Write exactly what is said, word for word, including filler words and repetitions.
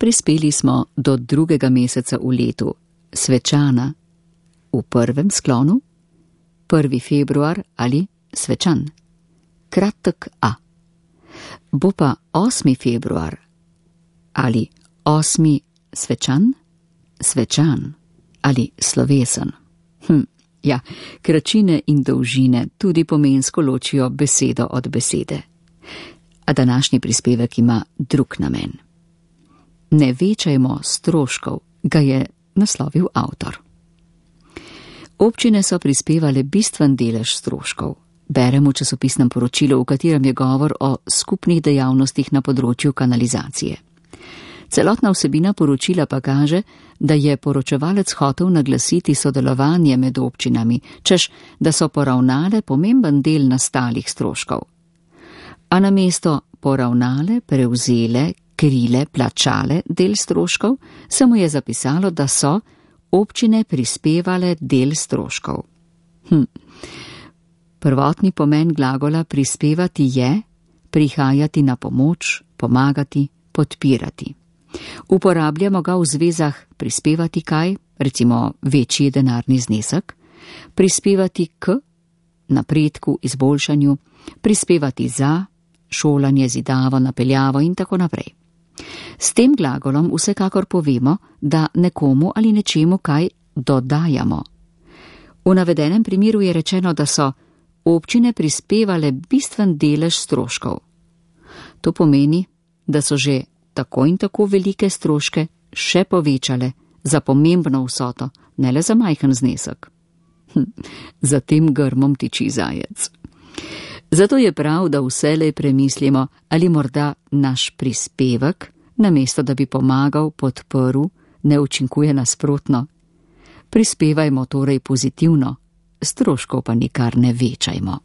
Prispeli smo do drugega meseca v letu, svečana, v prvem sklonu, prvi februar ali svečan, kratek A. Bo pa osmi februar ali osmi svečan, svečan ali slovesen. Hm, ja, kračine in dolžine tudi pomensko ločijo besedo od besede. A današnji prispevek ima drug namen. Ne večajmo stroškov, ga je naslovil avtor. Občine so prispevale bistven delež stroškov. Beremo v časopisnem poročilu, v katerem je govor o skupnih dejavnostih na področju kanalizacije. Celotna vsebina poročila pa kaže, da je poročevalec hotel naglasiti sodelovanje med občinami, češ da so poravnale pomemben del nastalih stroškov. A namesto poravnale, prevzele, krile, plačale del stroškov, se mu je zapisalo, da so občine prispevale del stroškov. Hm. Prvotni pomen glagola prispevati je prihajati na pomoč, pomagati, podpirati. Uporabljamo ga v zvezah prispevati kaj, recimo večji denarni znesek, prispevati k napredku, izboljšanju, prispevati za šolanje, zidavo, napeljavo in tako naprej. S tem glagolom vsekakor povemo, da nekomu ali nečemu kaj dodajamo. V navedenem primeru je rečeno, da so občine prispevale bistven delež stroškov. To pomeni, da so že tako in tako velike stroške še povečale za pomembno vsoto, ne le za majhen znesek. Hm, za tem grmom tiči zajec. Zato je prav, da vselej premislimo, ali morda naš prispevek, namesto da bi pomagal, podprl, ne učinkuje nasprotno. Prispevajmo torej pozitivno, stroškov pa nikar ne večajmo.